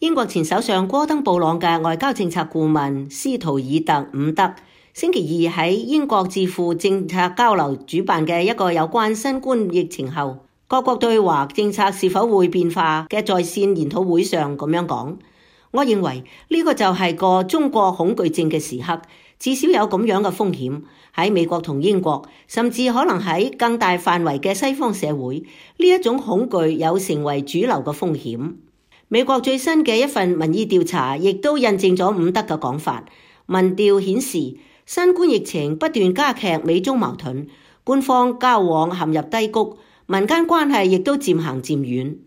英國前首相戈登布朗嘅外交政策顧問斯圖爾特伍德星期二喺英國智庫政策交流主辦嘅一個有關新冠疫情後各國對華政策是否會變化嘅在線研討會上咁樣講：我認為呢個就係個中國恐懼症嘅時刻，至少有咁樣嘅風險喺美國同英國，甚至可能喺更大範圍嘅西方社會，呢一種恐懼有成為主流嘅風險。美國最新嘅一份民意調查亦都印證咗伍德嘅講法。民調顯示，新冠疫情不斷加劇美中矛盾，官方交往陷入低谷，民間關係亦都漸行漸遠。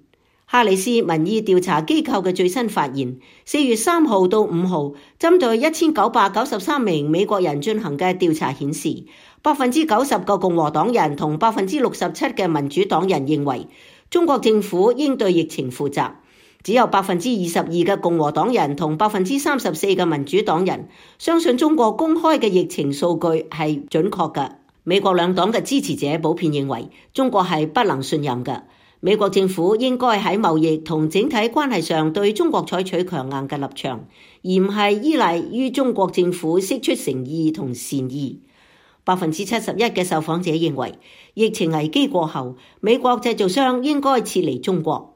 哈里斯民意調查機構嘅最新發現，4月3號到5號針對1993名美國人進行嘅調查顯示，90%嘅共和黨人同67%嘅民主黨人認為中國政府應對疫情負責。只有22%嘅共和黨人同34%嘅民主黨人相信中國公開嘅疫情數據係準確嘅。美國兩黨嘅支持者普遍認為中國係不能信任嘅。美國政府應該喺貿易同整體關係上對中國採取強硬嘅立場，而唔係依賴於中國政府釋出誠意同善意。71%嘅受訪者認為疫情危機過後，美國製造商應該撤離中國。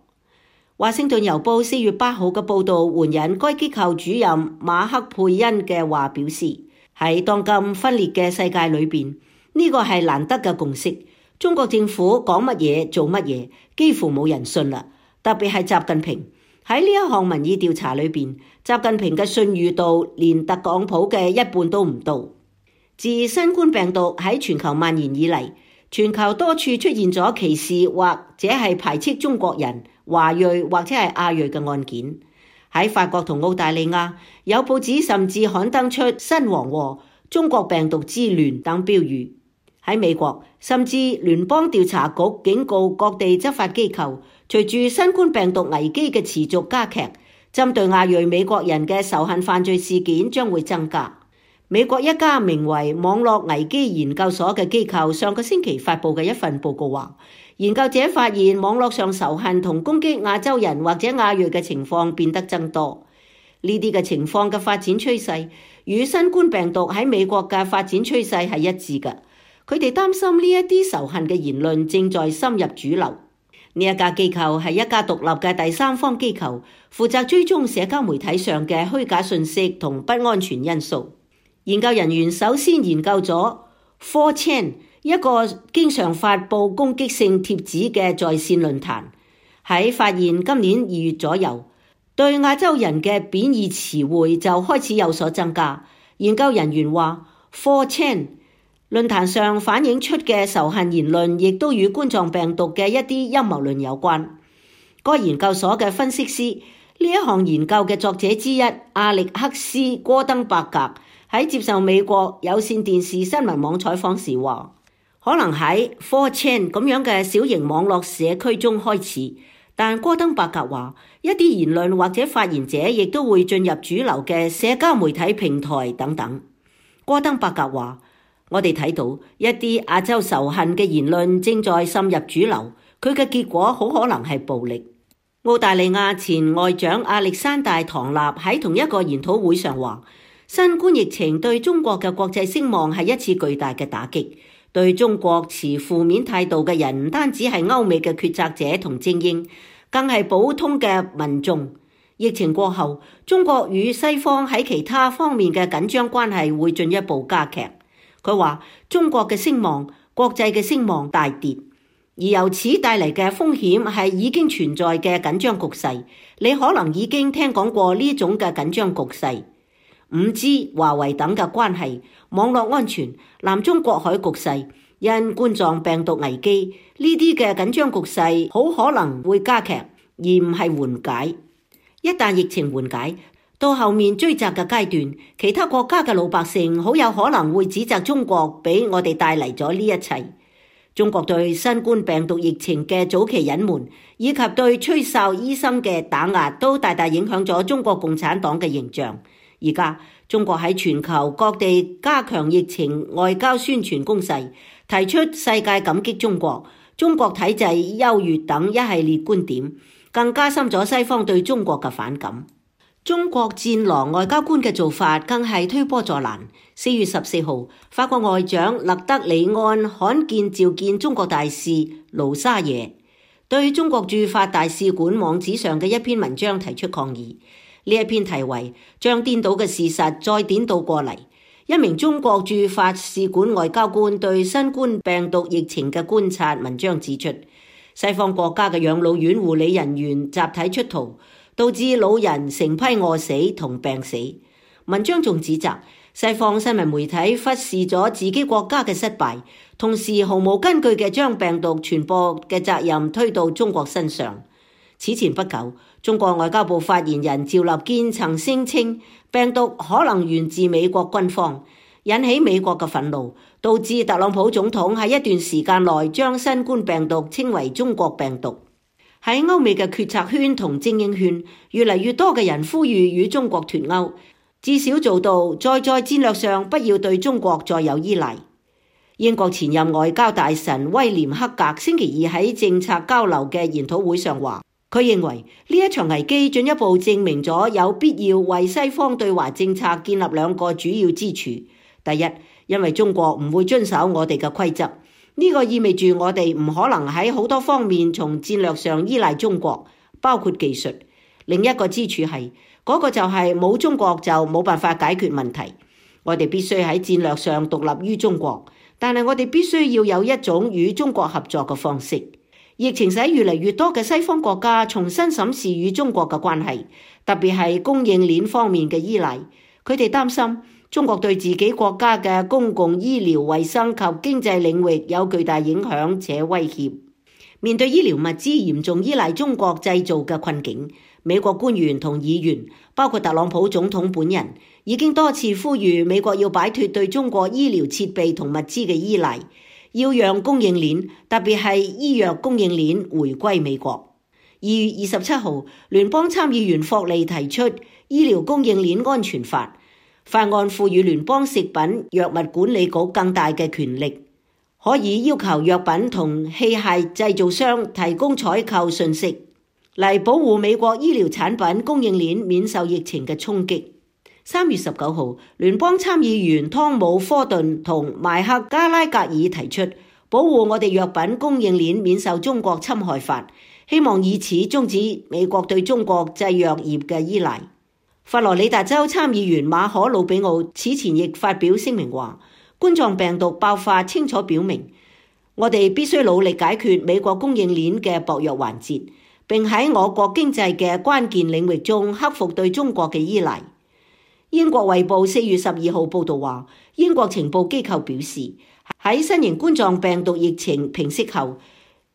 華盛頓郵報4月8號嘅報導援引該機構主任馬克佩恩嘅話表示，喺當今分裂嘅世界裏邊，呢個係難得嘅共識。中國政府講乜嘢做乜嘢，幾乎冇人信啦。特別係習近平喺呢一項民意調查裏邊，習近平嘅信譽度連特朗普嘅一半都唔到。自新冠病毒喺全球蔓延以嚟，全球多處出現咗歧視或者係排斥中國人、華裔或者係亞裔嘅案件。喺法國同澳大利亞，有報紙甚至刊登出新黃禍、中國病毒之亂等標語。喺美國，甚至聯邦調查局警告各地執法機構，隨住新冠病毒危機嘅持續加劇，針對亞裔美國人嘅仇恨犯罪事件將會增加。美國一家名為網絡危機研究所嘅機構上個星期發布嘅一份報告話，研究者發現網絡上仇恨同攻擊亞洲人或者亞裔嘅情況變得增多。呢啲嘅情況嘅發展趨勢與新冠病毒喺美國嘅發展趨勢係一致嘅。佢哋擔心呢一啲仇恨嘅言論正在深入主流。呢一家機構係一家獨立嘅第三方機構，負責追蹤社交媒體上嘅虛假信息同不安全因素。研究人員首先研究咗 4chan， 一個經常發布攻擊性貼紙嘅在線論壇。喺發現今年2月左右，對亞洲人嘅貶義詞彙就開始有所增加。研究人員話 4chan論壇上反映出嘅仇恨言論亦都與冠狀病毒嘅一啲陰謀論有關。該研究所嘅分析師，呢一項研究嘅作者之一阿力克斯·戈登伯格喺接受美國有線電視新聞網採訪時話，可能喺 4chan 咁樣嘅小型網絡社區中開始，但戈登伯格話一啲言論或者發言者亦都會進入主流嘅社交媒體平台等等。戈登伯格話，我哋睇到一啲亞洲仇恨嘅言論正在滲入主流，佢嘅結果好可能係暴力。澳大利亞前外長亞歷山大·唐納喺同一個研討會上話，新冠疫情對中國嘅國際聲望係一次巨大嘅打擊，對中國持負面態度嘅人唔單止係歐美嘅決策者同精英，更係普通嘅民眾。疫情過後，中國與西方喺其他方面嘅緊張關係會進一步加劇。佢話中國嘅聲望、國際嘅聲望大跌，而由此帶嚟嘅風險係已經存在嘅緊張局勢。你可能已經聽講過呢種嘅緊張局勢，5G、華為等嘅關係、網絡安全、南中國海局勢、因冠狀病毒危機，呢啲嘅緊張局勢好可能會加劇，而唔係緩解。一旦疫情緩解，到後面追責嘅階段，其他國家嘅老百姓好有可能會指責中國俾我哋帶嚟咗呢一切。中國對新冠病毒疫情嘅早期隱瞞，以及對吹哨醫生嘅打壓，都大大影響咗中國共產黨嘅形象。而家中國喺全球各地加強疫情外交宣傳攻勢，提出世界感激中國、中國體制優越等一系列觀點，更加深咗西方對中國嘅反感。中國戰狼外交官嘅做法更係推波助瀾。4月14號，法國外長勒德里安罕見召見中國大使盧沙野，對中國駐法大使館網址上嘅一篇文章提出抗議。呢一篇題為將顛倒嘅事實再顛倒過嚟。一名中國駐法使館外交官對新冠病毒疫情嘅觀察文章指出，西方國家嘅養老院護理人員集體出逃，導致老人成批餓死同病死。文章仲指責西方新聞媒體忽視咗自己國家嘅失敗，同時毫無根據嘅將病毒傳播嘅責任推到中國身上。此前不久，中國外交部發言人趙立堅曾聲稱病毒可能源自美國軍方，引起美國嘅憤怒，導致特朗普總統喺一段時間內將新冠病毒稱為中國病毒。喺歐美嘅決策圈同精英圈，越嚟越多嘅人呼籲與中國脫鈎，至少做到在戰略上不要對中國再有依賴。英國前任外交大臣威廉克格星期二喺政策交流嘅研討會上話，佢認為呢一場危機進一步證明咗有必要為西方對華政策建立兩個主要支柱。第一，因為中國唔會遵守我哋嘅規則，呢個意味住我哋唔可能喺好多方面從戰略上依賴中國，包括技術。另一個支柱係嗰個就係冇中國就冇辦法解決問題。我哋必須喺戰略上獨立於中國，但係我哋必須要有一種與中國合作嘅方式。疫情使越嚟越多嘅西方國家重新審視與中國嘅關係，特別係供應鏈方面嘅依賴。佢哋擔心中國對自己國家嘅公共醫療衛生及經濟領域有巨大影響且威脅。面對醫療物資嚴重依賴中國製造嘅困境，美國官員同議員，包括特朗普總統本人，已經多次呼籲美國要擺脫對中國醫療設備同物資嘅依賴，要讓供應鏈，特別係醫藥供應鏈回歸美國。2月27號，聯邦參議員霍利提出醫療供應鏈安全法，法案賦予聯邦食品藥物管理局更大嘅權力，可以要求藥品同器械製造商提供採購信息，嚟保護美國醫療產品供應鏈免受疫情嘅衝擊。3月19號，聯邦參議員湯姆·科頓同邁克·加拉格爾提出保護我哋藥品供應鏈免受中國侵害法，希望以此終止美國對中國製藥業嘅依賴。佛羅里達州參議員馬可·魯比奧此前亦發表聲明話，冠狀病毒爆發清楚表明，我哋必須努力解決美國供應鏈嘅薄弱環節，並喺我國經濟嘅關鍵領域中克服對中國嘅依賴。英國衛報4月12號報道話，英國情報機構表示，喺新型冠狀病毒疫情平息後，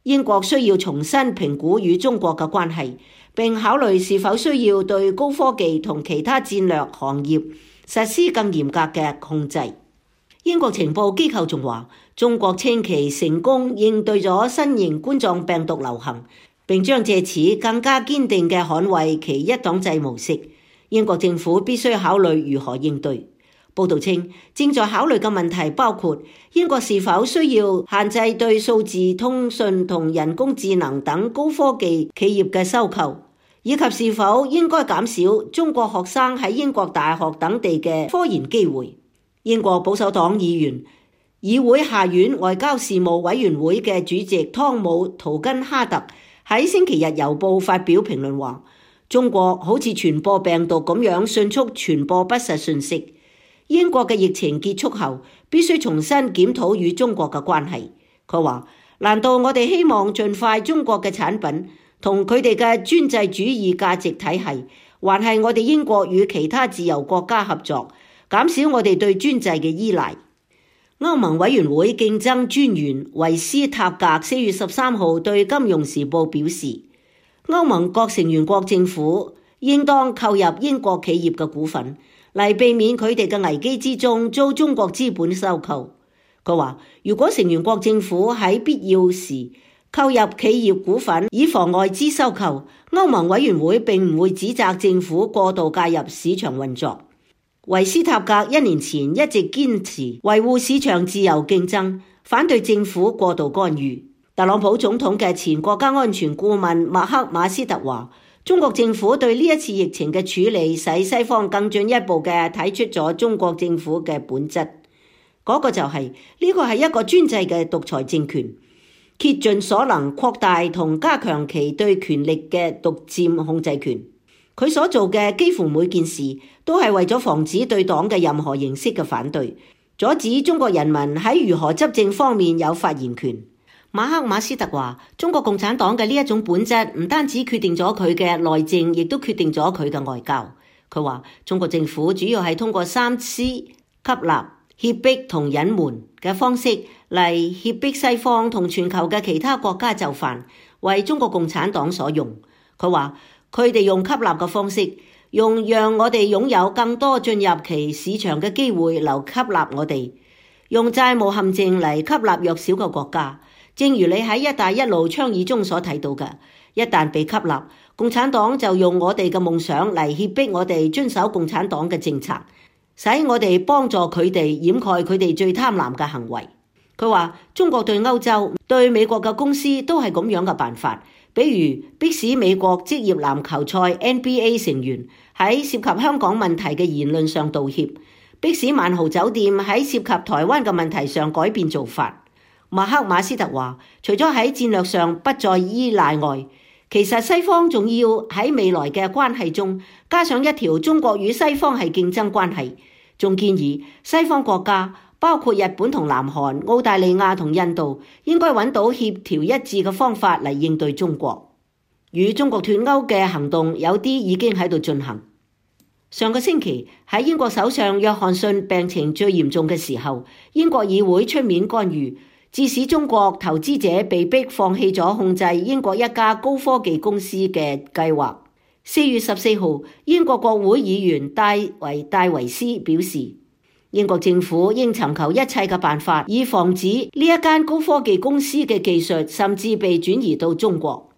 英國需要重新評估與中國嘅關係，並考慮是否需要對高科技同其他戰略行業實施更嚴格嘅控制。英國情報機構仲話，中國稱其成功應對咗新型冠狀病毒流行，並將借此更加堅定嘅捍衛其一黨制模式。英國政府必須考慮如何應對。報道稱，正在考慮嘅問題包括英國是否需要限制對數字通訊同人工智能等高科技企業嘅收購，以及是否應該減少中國學生喺英國大學等地嘅科研機會。英國保守黨議員、議會下院外交事務委員會嘅主席湯姆·圖根哈特喺星期日郵報發表評論話，中國好似傳播病毒咁樣迅速傳播不實信息。英國嘅疫情結束後，必須重新檢討與中國嘅關係。佢話，難道我哋希望盡快中國嘅產品同佢哋嘅專制主義價值體系，還係我哋英國與其他自由國家合作，減少我哋對專制嘅依賴？歐盟委員會競爭專員維斯塔格4月13號對《金融時報》表示，歐盟各成員國政府應當購入英國企業嘅股份，嚟避免佢哋嘅危機之中遭中國資本收購。佢話，如果成員國政府喺必要時購入企業股份以防外資收購，歐盟委員會並唔會指責政府過度介入市場運作。維斯塔格1年前一直堅持維護市場自由競爭，反對政府過度干預。特朗普總統嘅前國家安全顧問麥克馬斯特話，中國政府對呢一次疫情嘅處理，使西方更進一步嘅睇出咗中國政府嘅本質。嗰個就係呢個係一個專制嘅獨裁政權，竭盡所能擴大同加強其對權力嘅獨佔控制權。佢所做嘅幾乎每件事都係為咗防止對黨嘅任何形式嘅反對，阻止中國人民喺如何執政方面有發言權。馬克馬斯特話，中國共產黨嘅呢一種本質唔單止決定咗佢嘅內政，亦都決定咗佢嘅外交。佢話中國政府主要係通過3C吸納、脅迫同隱瞞嘅方式嚟脅迫西方同全球嘅其他國家就範，為中國共產黨所用。佢話佢哋用吸納嘅方式，用讓我哋擁有更多進入其市場嘅機會嚟吸納我哋，用債務陷阱嚟吸納弱小嘅國家。正如你喺一帶一路倡議中所睇到嘅，一旦被吸納，共產黨就用我哋嘅夢想嚟脅迫我哋遵守共產黨嘅政策，使我哋幫助佢哋掩蓋佢哋最貪婪嘅行為。佢話中國對歐洲、對美國嘅公司都係咁樣嘅辦法，比如迫使美國職業籃球賽 NBA 成員喺涉及香港問題嘅言論上道歉，迫使萬豪酒店喺涉及台灣嘅問題上改變做法。馬克馬斯特話，除咗喺戰略上不再依賴外，其實西方仲要喺未來嘅關係中加上一條中國與西方係競爭關係，仲建議西方國家包括日本同南韓、澳大利亞同印度應該揾到協調一致嘅方法嚟應對中國。與中國脫鈎嘅行動有啲已經喺度進行。上個星期喺英國首相約翰遜病情最嚴重嘅時候，英國議會出面干預，致使中國投資者被迫放棄咗控制英國一家高科技公司嘅計劃。4月14號，英國國會議員戴維斯表示，英國政府應尋求一切嘅辦法，以防止呢一間高科技公司嘅技術甚至被轉移到中國。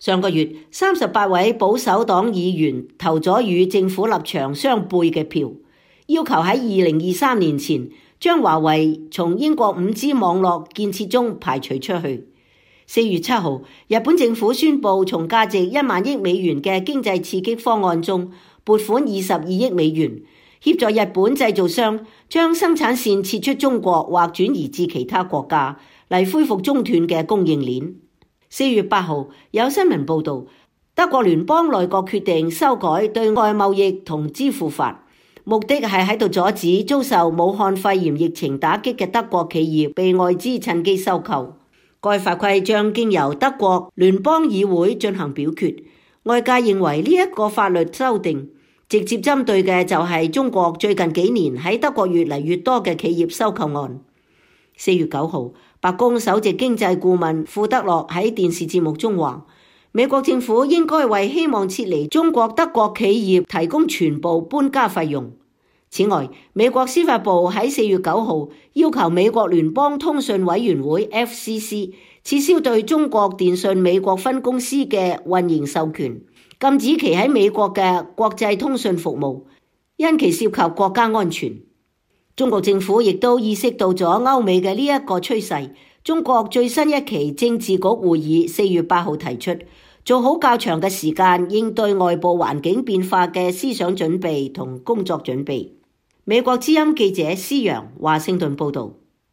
上個月，38位保守黨議員投咗與政府立場相悖嘅票，要求喺2023年前將華為從英國5G 網絡建設中排除出去。4月7號，日本政府宣布從價值1萬億美元嘅經濟刺激方案中撥款22億美元，協助日本製造商將生產線撤出中國或轉移至其他國家，嚟恢復中斷嘅供應鏈。4月8號，有新聞報道，德國聯邦內閣決定修改對外貿易同支付法，目的係喺度阻止遭受武漢肺炎疫情打擊嘅德國企業被外資趁機收購。該法規將經由德國聯邦議會進行表決。外界認為呢一個法律修訂直接針對嘅就係中國最近幾年喺德國越嚟越多嘅企業收購案。4月9號，白宮首席經濟顧問庫德洛喺電視節目中話，美國政府應該為希望撤離中國德國企業提供全部搬家費用。此外，美國司法部喺4月9號要求美國聯邦通訊委員會 FCC 撤銷對中國電信美國分公司嘅運營授權，禁止其喺美國嘅國際通訊服務，因其涉及國家安全。中國政府亦都意識到咗歐美嘅呢一個趨勢。中國最新一期政治局會議4月8號提出，做好較長嘅時間應對外部環境變化嘅思想準備同工作準備。美國之音記者施洋華盛頓報道。